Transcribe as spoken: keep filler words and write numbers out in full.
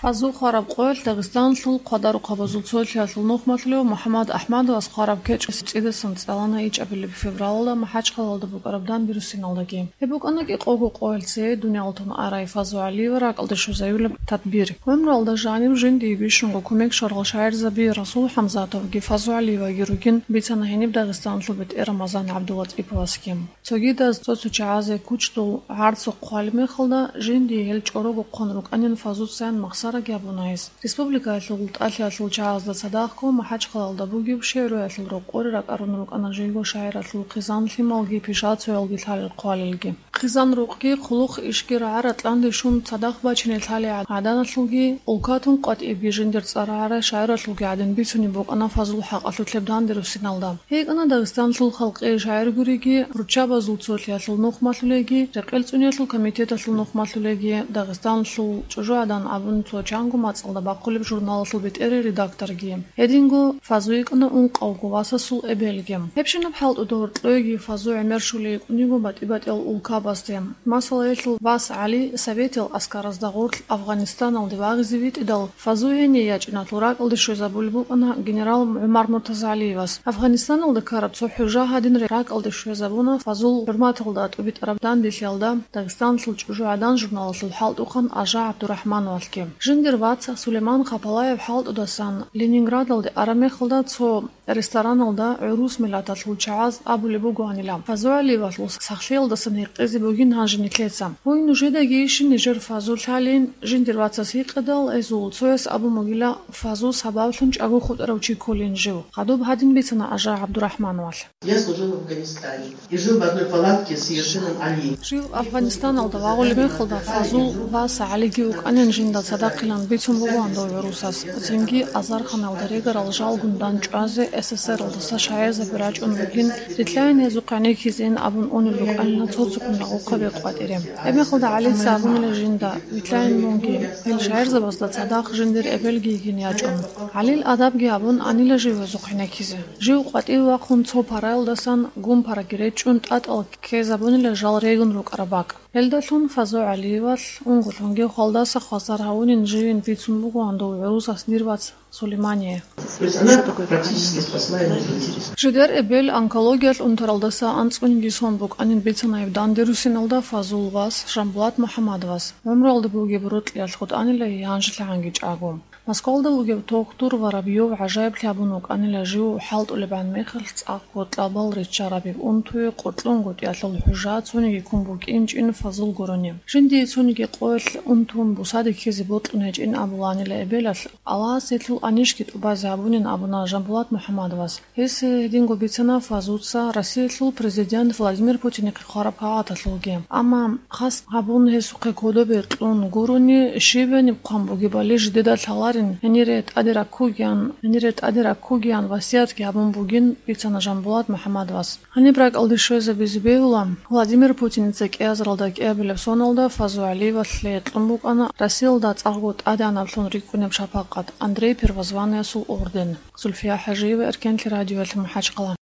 Фазул хвараб къоялъ Дагъистаналъул хъвадарухъабазул цолъиялъул нухмалъулев МухӀаммад АхӀмадовас хвараб кечӀ цӀидасан цӀалана ичӀабилеб февралалда МахӀачхъалалда букӀараб дандерусиналдаги. Гьеб букӀана кӀикъого къоялъ цее дуниял тун арай Фазу ГӀалиева ракӀалде щвезавулеб тадбир. ГӀумруялда жанив жиндие бищунго кумек щварал шагӀирзаби Расул ХӀамзатовги Фазу ГӀалиеваги ругин, бицана гьениб Дагъистаналъул бетӀер Рамазан ГӀабдулатӀиповасги. Цогидаз цо-цо чагӀазе кучдул гӀарцухъ хъвалеб мехалда, жиндие гьел чӀорого хъван рукӀанин Фазуцаян махсараги гьабуна гьес. Республикаялъул тӀалъиялъул чагӀазда цадахъго МахӀачхъалалда бугеб шигӀруялъул рокъоре ракӀарун рукӀана жиго шагӀиралъул хъизан-лъималги пишацоялги лъалел хъвалелги. Хъизан-рукъги, хъулухъ-ишги рагӀа-ратӀлъанде щун цадахъ бачине лъалей гӀаданалъулги, улкатун къватӀибги жиндир цӀар рагӀарай шагӀиралъулги гӀадин бицунеб букӀана Фазул хӀакъалъулъеб дандерусиналда. ГьикӀана Дагъистанлъул халкъи шагӀир гуриги, руччабазул цолъиялъул нухмалъулеги, рекъел цӀуниялъул комитеталъул нухмалъулеги, Дагъистанлъул чӀужугӀадан абун цо чанго мацӀалда бахъулеб журналалъул бетӀерей редакторги. Гьединго Фазу йикӀана ункъавго васасул эбелги. Гьебщинаб хӀалтӀуда гьоркьойги Фазу гӀемер щулей йикӀун йиго батӀи-батӀиял улкабазде. Масала, гьелъул вас ГӀали советиял аскаразда гъорлъ Афгъанистаналде вагъизе витӀидал, Фазу гьение ячӀиналъул ракӀалде щвезабулеб букӀана генерал ГӀумар МуртазагӀалиевас. Афгъанистаналда ккараб цо хӀужа гьадин ракӀалде щвезабуна Фазул хӀурматалда тӀубитӀараб данделъиялда Дагъистанлъул чӀужугӀадан журналалъул хӀалтӀухъан Ажа ГӀабдурахӀмановалъги. Жиндир вац Сулейман Хапалаев хӀалтӀудасан Ленинградалде араб мехалда цо рестораналда гӀурус миллаталъул чагӀаз абулеб бугоанила, Фазу ГӀалиевалъул сахлъиялдасан гьекъезе бугин гьанже нилъеца. Гьуй, нужедагийищин нижер Фазу лъалин? Жиндир вацас гьикъидал, гьезул цояс абун бугила, Фазу сабаблъун чӀаго хутӀарав чи кколин жив. Хадуб гьадин бицана Ажа ГӀабдурахӀмановалъ. Я служил в Афганистане и жил в одной палатке с Ершином Али. Жив Афганистаналда вагъулеб мехалда Фазул вас ГӀалиги вукӀанин жинда цадахъилан бицун бугоан дов гӀурусас. Цинги азарханалда регарал жалгун дандчӀвазе СССРалдаса шагӀирзаби рачӀун бугин, рилълъайин гьезухъ гӀенеккизейин абун унел рукӀанина цо-цоккун рагъухъаби къватӀире. Гьеб мехалда ГӀалица абунила жинда, вилълъайин мунги, гьел шагӀирзабазда цадахъ жиндир эбелги йигин ячӀун. ГӀалил адабги абун анила жив гьезухъ гӀенеккизе. Жив къватӀиве вахъун цо параялдасан гумпараги речӀчӀун тӀатӀал ккезабунила жал регун рукӀараб бакӀ. Гьелдалъун Фазу ГӀалиевалъ унго-лъунги хвалдаса хвасар гьавунин живин бицун бугоан дов гӀурусас дир вац Сулеймание. То есть она практически спасла ему жизнь. Жидер эбел онкологиялъ унтаралдаса анцӀгониги сон букӀанин бицана гьеб дандерусиналда Фазул вас Жамбулат МухӀаммадовас. ГӀумруялда бугеб рокьиялъ хутӀанила гьанжелъагӀанги чӀаго. Москвалда вугев тохтур Воробьёв гӀажаиблъи абун вукӀанила жив хӀалтӀулебгӀан мехалъ цӀакъго кьабал риччараб унтуе къуркьунгутӀиялъул хӀужа цониги ккун букӀинчӀин Фазул гурони. Жиндие цониги къоялъ унтун бусаде ккезе бокьун гьечӀин абуланила эбелалъ, Аллагьас гьелъул анищги тӀубазе гьабунин абуна Жамбулат МухӀаммадовас. Гьес гьединго бицана Фазуца Россиялъул президент Владимир Путинихъе хъвараб кагъаталъулги. Амма хас гьабун гьесухъе кодобе кьун гурони, щиб гьениб хъван бугебали жидеда лъаларин, гьенире тӀаде раккугеян, гьенире тӀаде раккугеян васиятги гьабун бугин, бицана Жамбулат МухӀаммадовас. Гьаниб ракӀалде щвезабизе бегьула, Владимир Путиница кӀиазаралда кӀиабилеб соналда Фазу ГӀалиевалъе кьун букӀана Россиялда цӀакъго тӀадегӀанаблъун рикӀкӀунеб шапакъат, Андрей Первозванныйасул орден. Зульфия ХӀажиева, Эркенлъи радиоялъ МахӀачхъала.